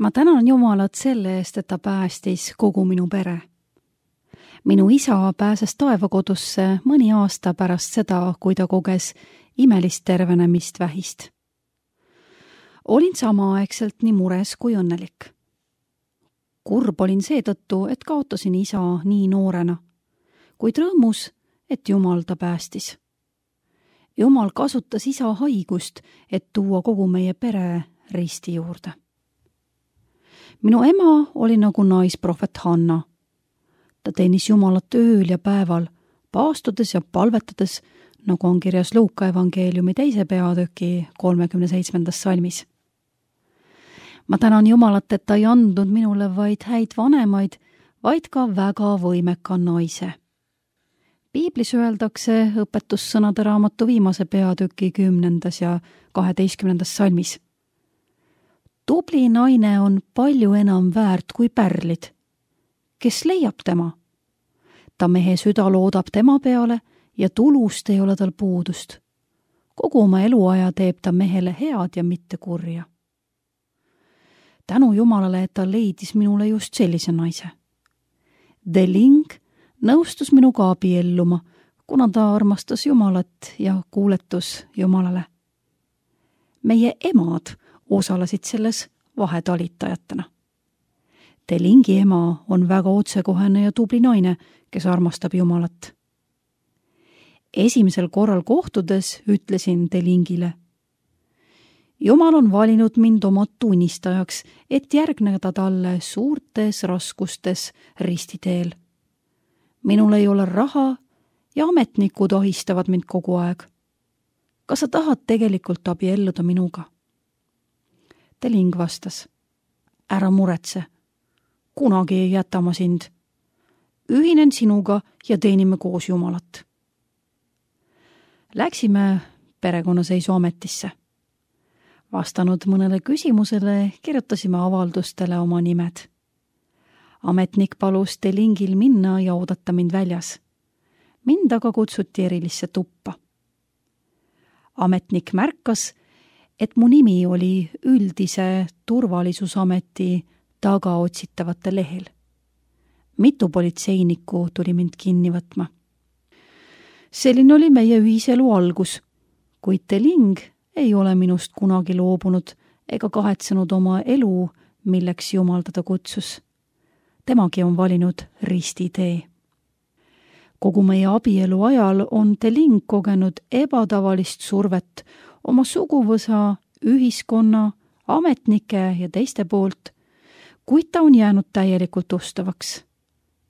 Ma tänan Jumalat selle eest, et ta päästis kogu minu pere. Minu isa pääses taevakodusse mõni aasta pärast seda, kui ta koges imelist tervenemist vähist. Olin samaaegselt nii mures kui õnnelik. Kurb olin seetõttu, et kaotasin isa nii noorena, kuid rõõmus, et Jumal ta päästis. Jumal kasutas isa haigust, et tuua kogu meie pere risti juurde. Minu ema oli nagu naisprohvet Hanna. Ta teenis Jumalat ööl ja päeval, paastudes ja palvetades, nagu on kirjas Luuka evangeeliumi 2. peatüki 37. salmis. Ma tänan Jumalat, et ta ei andnud minule vaid häid vanemaid, vaid ka väga võimeka naise. Piiblis öeldakse õpetussõnade raamatu 5. peatüki 10. ja 12. salmis. Tubli naine on palju enam väärt kui pärlid. Kes leiab tema? Ta mehe süda loodab tema peale ja tulust ei ole tal puudust. Kogu oma eluaja teeb ta mehele head ja mitte kurja. Tänu Jumalale, et ta leidis minule just sellise naise. Deling nõustus minuga abielluma, kuna ta armastas Jumalat ja kuuletus Jumalale. Meie emad osalesid selles vahetalitajatena. Delingi ema on väga otsekohene ja tubli naine, kes armastab Jumalat. Esimesel korral kohtudes ütlesin Delingile: Jumal on valinud mind oma tunnistajaks, et järgneda talle suurtes raskustes ristiteel. Minul ei ole raha ja ametnikud ahistavad mind kogu aeg. Kas sa tahad tegelikult abielluda minuga? Deling vastas: Ära muretse, kunagi ei jäta ma sind. Ühinen sinuga ja teenime koos Jumalat. Läksime perekonnaseisuametisse. Vastanud mõnele küsimusele kirjutasime avaldustele oma nimed. Ametnik palus Delingil minna ja oodata mind väljas. Mind aga kutsuti erilisse tuppa. Ametnik märkas, et mu nimi oli üldise turvalisusameti tagaotsitavate lehel. Mitu politseinikku tuli mind kinni võtma. Selline oli meie ühiselu algus, kuid Deling ei ole minust kunagi loobunud ega kahetsenud oma elu, milleks Jumal teda kutsus. Temagi on valinud ristitee. Kogu meie abielu ajal on Deling kogenud ebatavalist survet oma suguvõsa, ühiskonna, ametnike ja teiste poolt, kuid ta on jäänud täielikult ustavaks.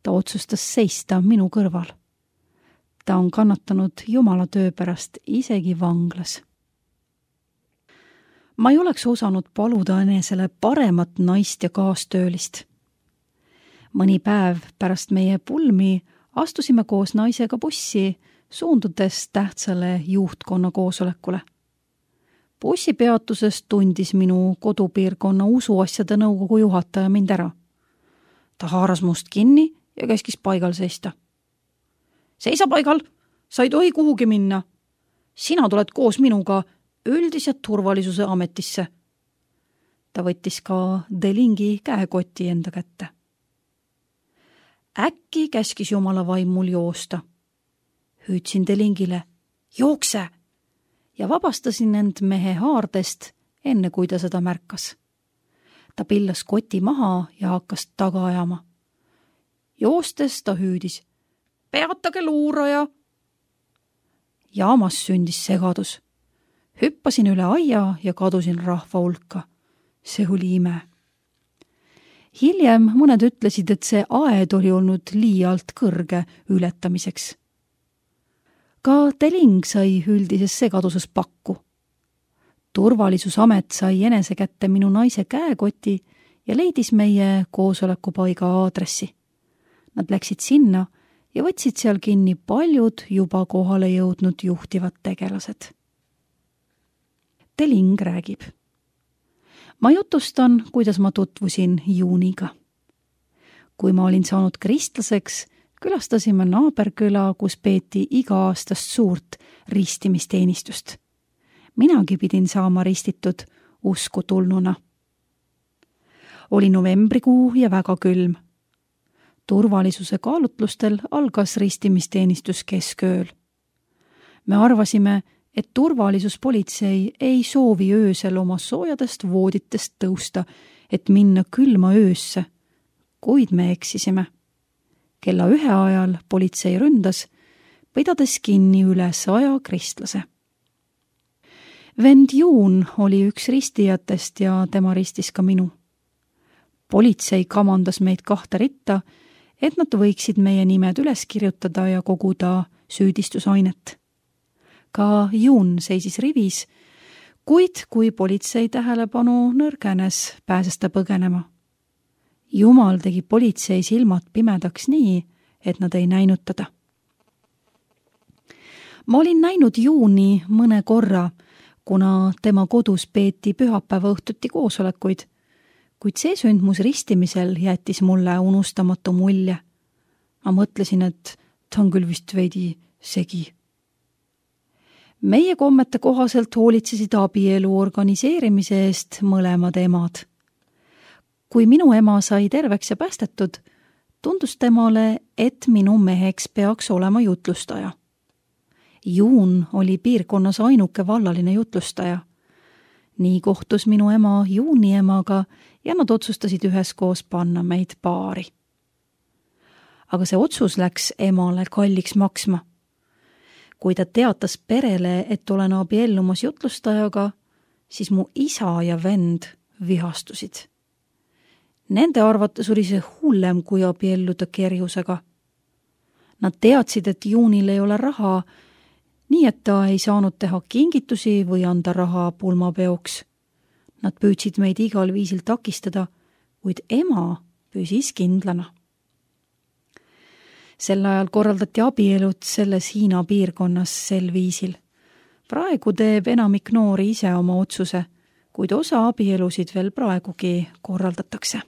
Ta otsustas seista minu kõrval. Ta on kannatanud Jumala töö pärast isegi vanglas. Ma ei oleks osanud paluda enesele paremat naist ja kaastöölist. Mõni päev pärast meie pulmi astusime koos naisega bussi, suundudes tähtsale juhtkonna koosolekule. Bussipeatuses tundis minu kodupiirkonna usuasjade nõukogu juhataja mind ära. Ta haaras must kinni ja käskis paigal seista. Seisa paigal, sa ei tohi kuhugi minna. Sina tuled koos minuga üldise turvalisuse ametisse. Ta võttis ka Delingi käekoti enda kätte. Äkki käskis Jumala vaim mul joosta. Hüüdsin Delingile: Jookse! Ja vabastasin end mehe haardest, enne kui ta seda märkas. Ta pillas koti maha ja hakkas taga ajama. Joostes ta hüüdis: Peatage luuraja! Jaamas sündis segadus. Hüppasin üle aia ja kadusin rahva hulka. See oli ime. Hiljem mõned ütlesid, et see aed oli olnud liialt kõrge ületamiseks. Ka Deling sai üldises segaduses pakku. Turvalisusamet sai enese kätte minu naise käekoti ja leidis meie koosolekupaiga aadressi. Nad läksid sinna ja võtsid seal kinni paljud juba kohale jõudnud juhtivad tegelased. Deling räägib: Ma jutustan, kuidas ma tutvusin Juuniga. Kui ma olin saanud kristlaseks, külastasime naaberküla, kus peeti iga-aastast suurt ristimisteenistust. Minagi pidin saama ristitud usku tulnuna. Oli novembrikuu ja väga külm. Turvalisuse kaalutlustel algas ristimisteenistus keskööl. Me arvasime, et turvalisuspolitsei ei soovi öösel oma soojadest vooditest tõusta, et minna külma öösse, kuid me eksisime. Kella 1 ajal politsei ründas, pidades kinni üle 100 kristlase. Vend Juun oli üks ristijatest ja tema ristis ka minu. Politsei kamandas meid 2 ritta, et nad võiksid meie nimed üles kirjutada ja koguda süüdistusainet. Ka Juun seisis rivis, kuid kui politsei tähelepanu nõrgenes, pääses ta põgenema. Jumal tegi politsei silmad pimedaks nii, et nad ei näinud teda. Ma olin näinud Juuni mõne korra, kuna tema kodus peeti pühapäeva õhtuti koosolekuid, kuid see sündmus ristimisel jättis mulle unustamatu mulje. Ma mõtlesin, et ta on küll vist veidi segi. Meie kommete kohaselt hoolitsesid abielu organiseerimise eest mõlemad emad. Kui minu ema sai terveks ja päästetud, tundus temale, et minu meheks peaks olema jutlustaja. Juun oli piirkonnas ainuke vallaline jutlustaja. Nii kohtus minu ema Juuni emaga ja nad otsustasid üheskoos panna meid paari. Aga see otsus läks emale kalliks maksma. Kui ta teatas perele, et olen abiellumas jutlustajaga, siis mu isa ja vend vihastusid. Nende arvates oli see hullem kui abielluda kerjusega. Nad teadsid, et Juunil ei ole raha, nii et ta ei saanud teha kingitusi või anda raha pulmapeoks. Nad püüdsid meid igal viisil takistada, kuid ema püsis kindlana. Sel ajal korraldati abielud selles Hiina piirkonnas sel viisil. Praegu teeb enamik noori ise oma otsuse, kuid osa abielusid veel praegugi korraldatakse.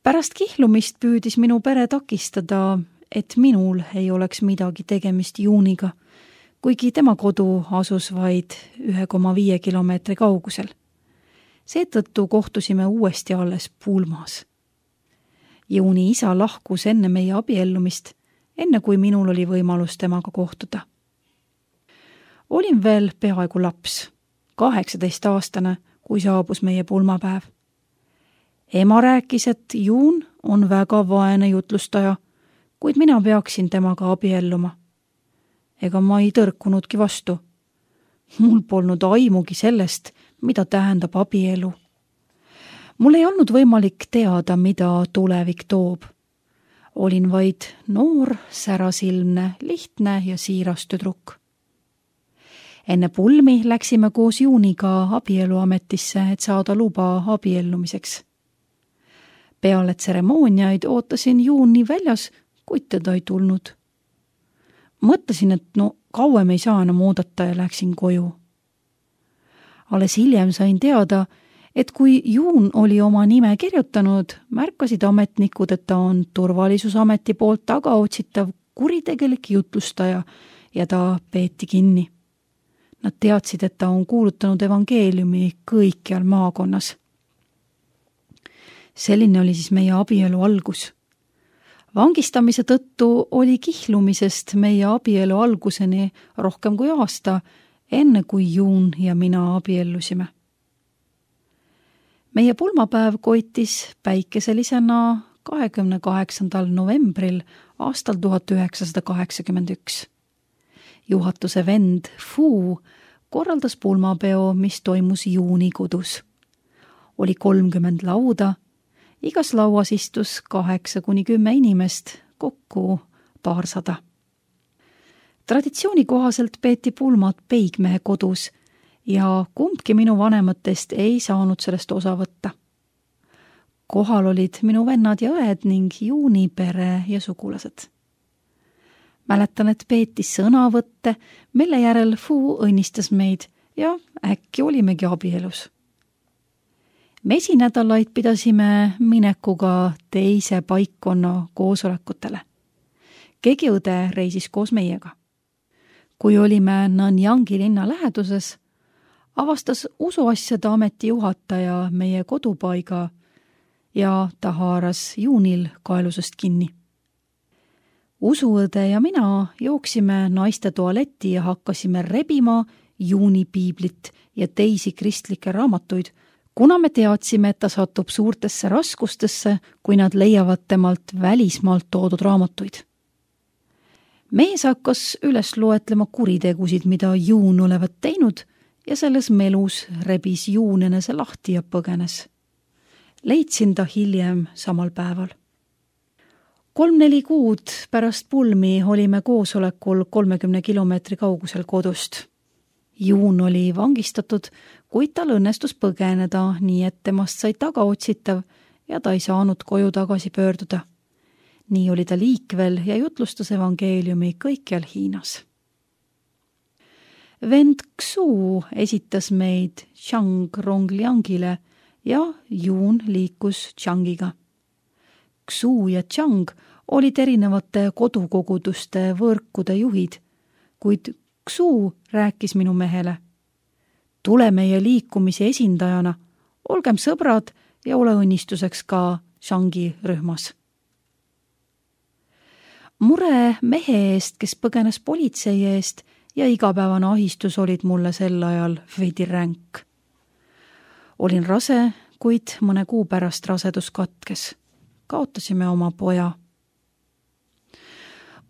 Pärast kihlumist püüdis minu pere takistada, et minul ei oleks midagi tegemist Juuniga, kuigi tema kodu asus vaid 1,5 kilomeetri kaugusel. Seetõttu kohtusime uuesti alles pulmas. Juuni isa lahkus enne meie abiellumist, enne kui minul oli võimalus temaga kohtuda. Olin veel peaaegu laps, 18-aastane, kui saabus meie pulmapäev. Ema rääkis, et Juun on väga vaene jutlustaja, kuid mina peaksin temaga abielluma. Ega ma ei tõrkunudki vastu. Mul polnud aimugi sellest, mida tähendab abielu. Mul ei olnud võimalik teada, mida tulevik toob. Olin vaid noor, särasilmne, lihtne ja siiras tüdruk. Enne pulmi läksime koos Juuniga abieluametisse, et saada luba abiellumiseks. Peale tseremooniaid ootasin Juuni väljas, kuid teda ei tulnud. Mõtlesin, et kauem ei saa enam oodata ja läksin koju. Alles hiljem sain teada, et kui Juun oli oma nime kirjutanud, märkasid ametnikud, et ta on turvalisusameti poolt tagaotsitav kuritegelik jutlustaja ja ta peeti kinni. Nad teadsid, et ta on kuulutanud evangeeliumi kõikjal maakonnas. Selline oli siis meie abielu algus. Vangistamise tõttu oli kihlumisest meie abielu alguseni rohkem kui aasta, enne kui Juun ja mina abiellusime. Meie pulmapäev koitis päikeselisena 28. novembril aastal 1981. Juhatuse vend Fu korraldas pulmapeo, mis toimus Juuni kodus. Oli 30 lauda, igas lauas istus 8–10 inimest, kokku 200. Traditsiooni kohaselt peeti pulmad peigmehe kodus ja kumbki minu vanematest ei saanud sellest osa võtta. Kohal olid minu vennad ja õed ning Juuni pere ja sugulased. Mäletan, et peeti sõnavõtte, mille järel Fu õnnistas meid ja äkki olimegi abielus. Mesinädalaid pidasime minekuga teise paikkonna koosolekutele. Keegi õde reisis koos meiega. Kui olime Nanyangi linna läheduses, avastas usuasjade ameti juhataja meie kodupaiga ja ta haaras juunil kaelusest kinni. Usuõde ja mina jooksime naiste tualetti ja hakkasime rebima Juuni piiblit ja teisi kristlikke raamatuid, kuna me teadsime, et ta satub suurtesse raskustesse, kui nad leiavad temalt välismaalt toodud raamatuid. Mees hakkas üles loetlema kuritegusid, mida Juun olevat teinud ja selles melus rebis Juun enese lahti ja põgenes. Leidsin ta hiljem samal päeval. 3-4 kuud pärast pulmi olime koosolekul 30 kilomeetri kaugusel kodust. Juun oli vangistatud, kuid tal õnnestus põgeneda, nii et temast sai tagaotsitav ja ta ei saanud koju tagasi pöörduda. Nii oli ta liikvel ja jutlustas evangeeliumi kõikjal Hiinas. Vend Xu esitas meid Chang Rongliangile ja Juun liikus Changiga. Xu ja Chang olid erinevate kodukoguduste võrkude juhid, kuid Xu rääkis minu mehele: tule meie liikumise esindajana, olgem sõbrad ja ole õnnistuseks ka Changi rühmas. Mure mehe eest, kes põgenes politsei eest ja igapäevane ahistus olid mulle sel ajal veidi ränk. Olin rase, kuid mõne kuu pärast rasedus katkes. Kaotasime oma poja.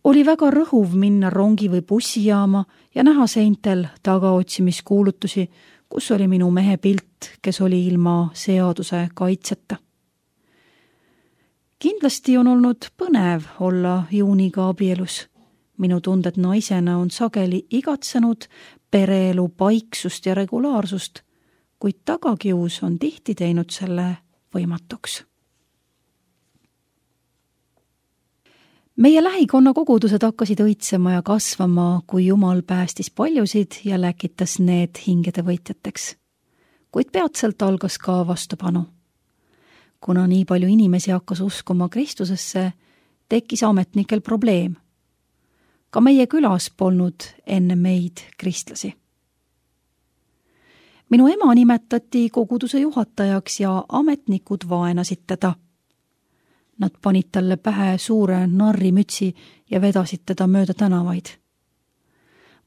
Oli väga rõhuv minna rongi või bussijaama ja näha seintel tagaotsimiskuulutusi, kus oli minu mehe pilt, kes oli ilma seaduse kaitseta. Kindlasti on olnud põnev olla Juuniga abielus. Minu tunded naisena on sageli igatsenud pereelu paiksust ja regulaarsust, kuid tagakius on tihti teinud selle võimatuks. Meie lähikonna kogudused hakkasid õitsema ja kasvama, kui Jumal päästis paljusid ja läkitas need hingede võitjateks. Kuid peatselt algas ka vastupanu. Kuna nii palju inimesi hakkas uskuma Kristusesse, tekkis ametnikel probleem. Ka meie külas polnud enne meid kristlasi. Minu ema nimetati koguduse juhatajaks ja ametnikud vaenasid teda. Nad panid talle pähe suure narrimütsi ja vedasid teda mööda tänavaid.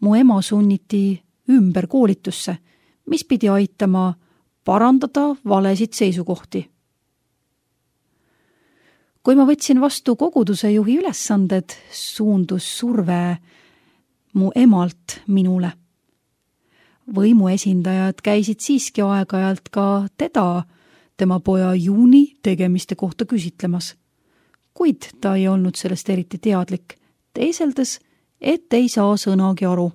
Mu ema sunniti ümber koolitusse, mis pidi aitama parandada valesid seisukohti. Kui ma võtsin vastu koguduse juhi ülesanded, suundus surve mu emalt minule. Võimu esindajad käisid siiski aeg-ajalt ka teda, tema poja Juuni tegemiste kohta küsitlemas. Kuid ta ei olnud sellest eriti teadlik, teiseldes, et ei saa sõnagi aru.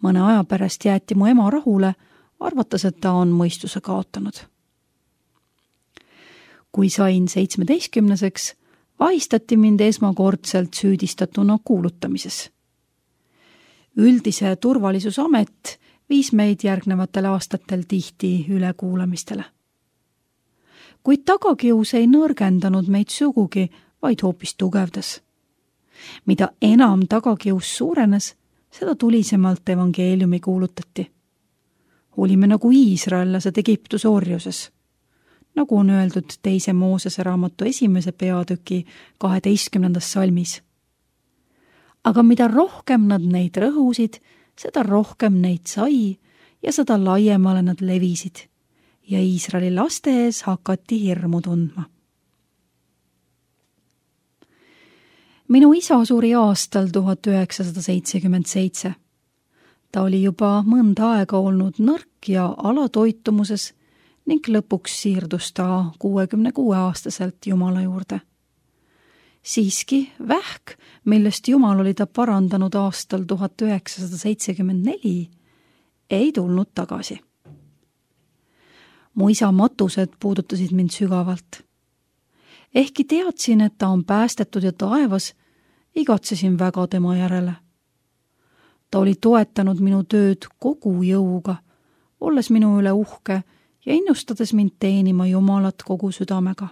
Mõne aja pärast jäeti mu ema rahule, arvates, et ta on mõistuse kaotanud. Kui sain 17-seks, vahistati mind esmakordselt süüdistatuna kuulutamises. Üldise turvalisusamet viis meid järgnevatel aastatel tihti ülekuulamistele. Kuid tagakius ei nõrgendanud meid sugugi, vaid hoopis tugevdas. Mida enam tagakius suurenes, seda tulisemalt evangeeliumi kuulutati. Olime nagu iisraellased Egiptuse orjuses. Nagu on öeldud 2. Moosese raamatu 1. peatüki 12. salmis. Aga mida rohkem nad neid rõhusid, seda rohkem neid sai ja seda laiemale nad levisid ja Iisraeli laste ees hakati hirmu tundma. Minu isa suri aastal 1977. Ta oli juba mõnda aega olnud nõrk ja alatoitumuses ning lõpuks siirdus ta 66-aastaselt Jumala juurde. Siiski vähk, millest Jumal oli ta parandanud aastal 1974, ei tulnud tagasi. Mu isa matused puudutasid mind sügavalt. Ehkki teadsin, et ta on päästetud ja taevas, igatsesin väga tema järele. Ta oli toetanud minu tööd kogu jõuga, olles minu üle uhke ja innustades mind teenima Jumalat kogu südamega.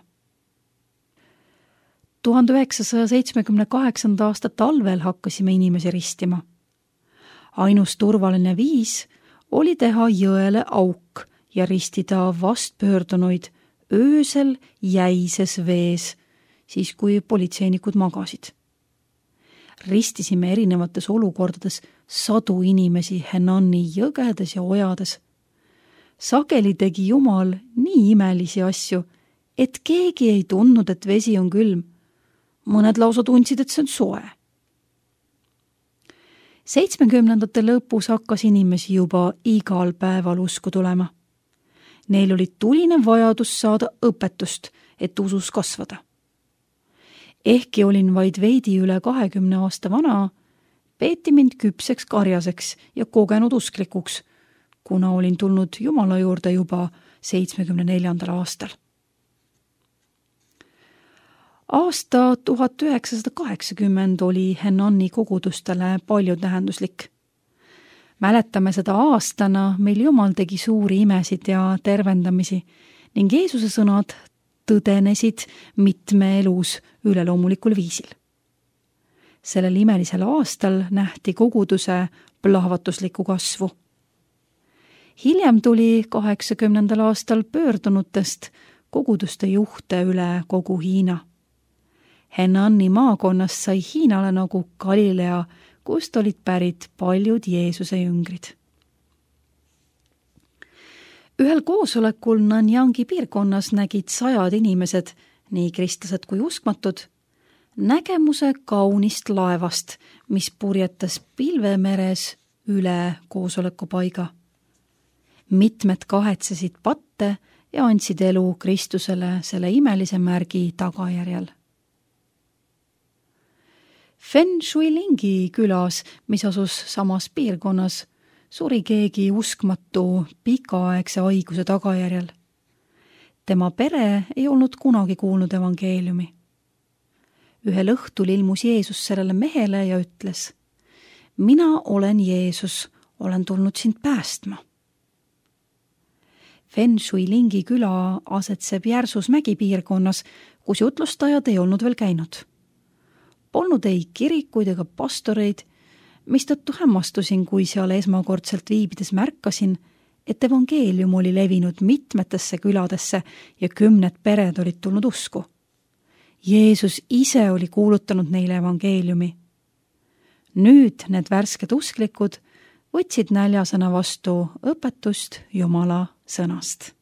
1978. aasta talvel hakkasime inimesi ristima. Ainus turvaline viis oli teha jõele auk ja ristida vastpöördunuid öösel jäises vees, siis kui politseinikud magasid. Ristisime erinevates olukordades sadu inimesi Henani jõgedes ja ojades. Sageli tegi Jumal nii imelisi asju, et keegi ei tundnud, et vesi on külm. Mõned lausa tundsid, et see on soe. 70ndate lõpus hakkas inimesi juba igal päeval usku tulema. Neil oli tuline vajadus saada õpetust, et usus kasvada. Ehkki olin vaid veidi üle 20 aasta vana, peeti mind küpseks karjaseks ja kogenud usklikuks, kuna olin tulnud Jumala juurde juba 74. aastal. Aasta 1980 oli Henani kogudustele palju tähenduslik. Mäletame seda aastana, mil Jumal tegi suuri imesid ja tervendamisi ning Jeesuse sõnad tõdenesid mitme elus üleloomulikul viisil. Sellel imelisel aastal nähti koguduse plahvatuslikku kasvu. Hiljem tuli 80. aastal pöördunutest koguduste juhte üle kogu Hiina. Henani maakonnast sai Hiinale nagu Galilea, kust olid pärit paljud Jeesuse jüngrid. Ühel koosolekul Nanyangi piirkonnas nägid 100 inimesed, nii kristlased kui uskmatud, nägemuse kaunist laevast, mis purjetas pilvemeres üle koosolekupaiga. Mitmed kahetsesid patte ja andsid elu Kristusele selle imelise märgi tagajärjel. Fen Shuilingi külas, mis asus samas piirkonnas, suri keegi uskmatu pikaaegse haiguse tagajärjel. Tema pere ei olnud kunagi kuulnud evangeeliumi. Ühel õhtul ilmus Jeesus sellele mehele ja ütles: "Mina olen Jeesus, olen tulnud sind päästma." Fen Shuilingi küla asetseb järsus mägipiirkonnas, kus jutlustajad ei olnud veel käinud. Polnud ei kirikuid ega pastoreid, mistõttu hämmastusin, kui seal esmakordselt viibides märkasin, et evangeelium oli levinud mitmetesse küladesse ja 10 pered olid tulnud usku. Jeesus ise oli kuulutanud neile evangeeliumi. Nüüd need värsked usklikud võtsid näljasena vastu õpetust Jumala sõnast.